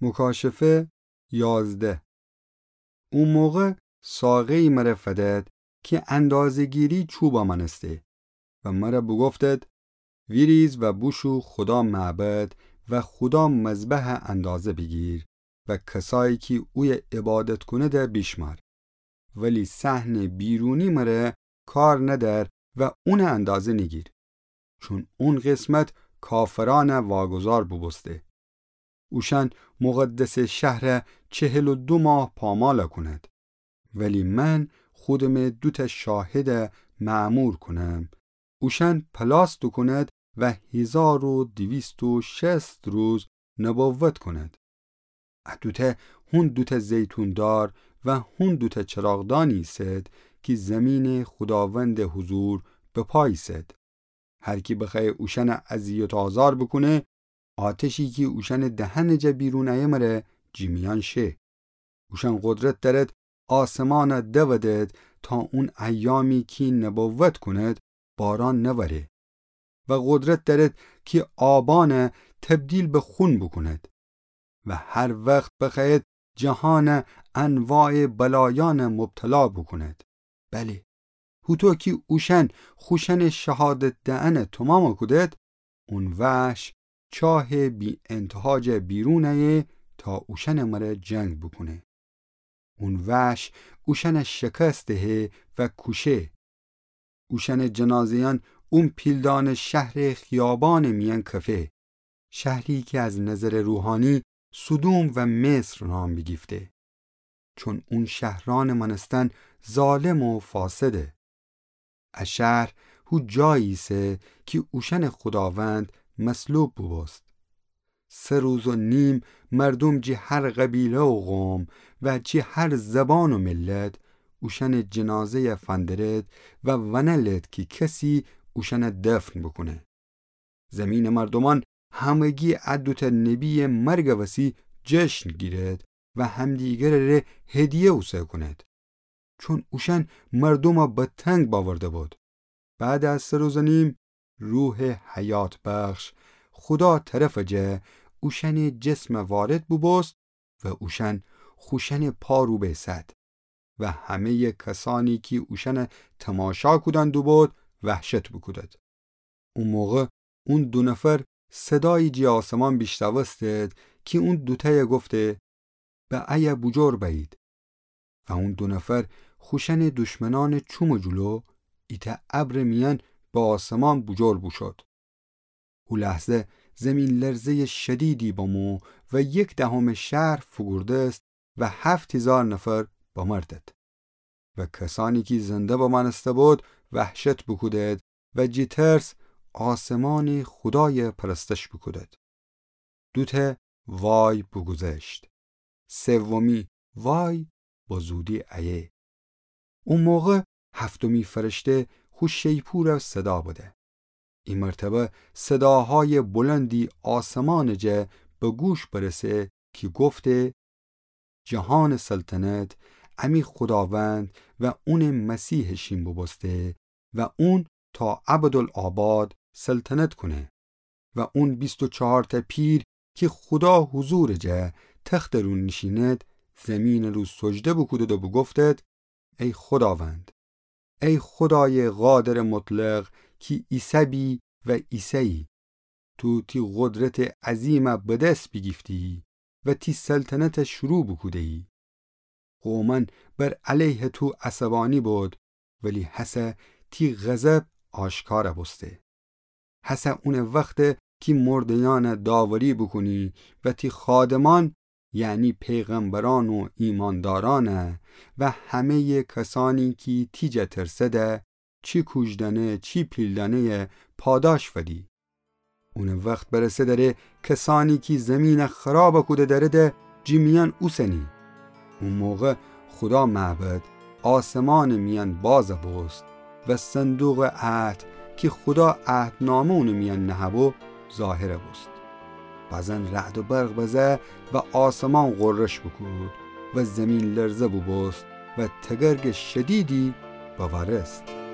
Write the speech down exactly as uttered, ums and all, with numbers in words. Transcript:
مکاشفه یازده. او موقع ساقه‌یی مره فدد کی اندازه‌گیری چوبا مانسته و مره بوگفتد: ویریز و بوشو خودا معبد و خودا مذبحه اندازه بیگیر و کسایی کی اویه عبادت کونده بیشمار. ولی صحنٚ بیرونی مره کار ندأر و اونه اندازه نیگیر، چون اون قسمت کافرأنه واگذار بوبوسته. اوشأن مقدسٚ شهره چهل و دو ماه پامال کونید. ولی من خودمه دوتأ شاهده مأمور کونم، اوشأن پلاس دوکونید و هیزار و دویست و شصت روز نبوت کونید. ا دوتأ، هون دوتأ زیتون دار و هون دوتأ چراغدانی ایسد کی زیمینٚ خوداوندٚ حضور بپا ایسد. هر کی بخوأیه اوشأنه اذیت و آزار بوکونه، آتشی کی اوشأنٚ دهنٚ جا بیرون ایه مره جیمیأن شه. اوشأن قدرت دأرد آسمانه دودد تا اون ایامی کی نبوت کونید باران نوره و قدرت دأرد کی آبأنه تبدیل به خون بوکونید و هر وخت بخوأیید جهانه انواعٚ بلایأنه مبتلا بوکونید. بلی، هوطو کی اوشأن خوشأنٚ شهادت دئنه تومام کودد، اون وحش چاهٚ بی‌انتها جا بیرون ایه تا اوشأنٚ مره جنگ بوکونه. اون وحش اوشأنه شکست دهه و کوشه. اوشأنٚ جنازه‌یأن اون پیلدانٚ شهرٚ خیابانٚ میأن کفه، شهری کی از نظرٚ روحانی سدوم و مصر نام بیگیفته، چون اون شهرأنٚ مأنستن ظالم و فاسده. ا شهر هو جایی ایسه کی اوشأنٚ خوداوند مصلوب بوبوست. سه روز و نیم مردوم جی هر قبیله و قوم و جی هر زبان و ملت اوشأنٚ جنازه‌یه فندرد و ونلد کی کسی اوشأنه دفن بوکونه. زیمینٚ مردومأن همگی ا دوتأ نبییٚ مرگٚ وسی جشن گیرد و همدیگرٚ ره هدیه اوسه کونید، چون اوشأن مردومه به تنگ بأورده بود. بعد از سه روز و نیم، روحٚ حیات‌بخش خودا طرفٚ جا اوشأنٚ جسم وارد بوبوست و اوشأن خوشأنٚ پا رو بیسد و همه‌یٚ کسأنی کی اوشأنه تماشا کودن دوبود وحشت بوکودد. او موقع اون دو نفر صدایی جٚه آسمان بیشنوستد کی اون دوتأیه گفته: به ایه بوجور بأیید. و اون دو نفر خوشأنٚ دشمنأنٚ چومٚ جلو ایتأ ابرٚ میأن به آسمان بوجور بوشود. او لحظه زیمین‌لرزه‌یٚ شدیدی بمو و یک دهمٚ شهر فوگوردست و هفت هیزار نفر بمردد. و کسأنی کی زنده بمأنسته بود وحشت بوکودد و جٚه ترس آسمانٚ خودایه پرستش بوکودد. دوتأ وای بوگوذشت. سومی وای به زودی ایه. او موقع هفتمی فرشته خو شیپوره صدا بده. ای مرتبه صداهایٚ بلندی آسمانٚ جا به گوش برسه کی گفته: جهانٚ سلطنت امی خوداوند و اونٚ مسیح شین بوبوسته و اون تا ابدالآباد سلطنت کونه. و اون بیست و چهارتأ پیر کی خودا حضورٚ جا تختٚ رو نیشیند، زیمینٚ رو سجده بوکودد و بوگفتد: ای خوداوند، ای خودایٚ قادرٚ مطلق کی ایسه‌بی و ایسه‌یی، تو تی قدرتٚ عظیمه به دس بیگیفتی و تی سلطنته شروع بوکوده‌یی. قومأن بر علیه تو عصبانی بود، ولی هسه تی غضب آشکار بوسته. هسه اونٚ وخته کی مرده‌یأنه داوری بوکونی و تی خادمأن، یعنی پیغمبرأن و ایماندارأنه و همه‌یٚ کسأنی کی تی جا ترسده، چی کوجدأنه چی پیلدأنه‌یه پاداش فدی. اونٚ وخت برسه دره کسأنی کی زیمینه خراب کوده درده جٚه میأن اوسنی. او موقع خودا معبد آسمانٚ میأن باز بوست و صندوقٚ عهد کی خودا عهدنامه اونٚ میأن نهه‌بو ظاهر بوست. بزن رعد و برق بزه و آسمان غرش بوکود و زیمین لرزه بوبوست و تگرگٚ شدیدی بوأرست.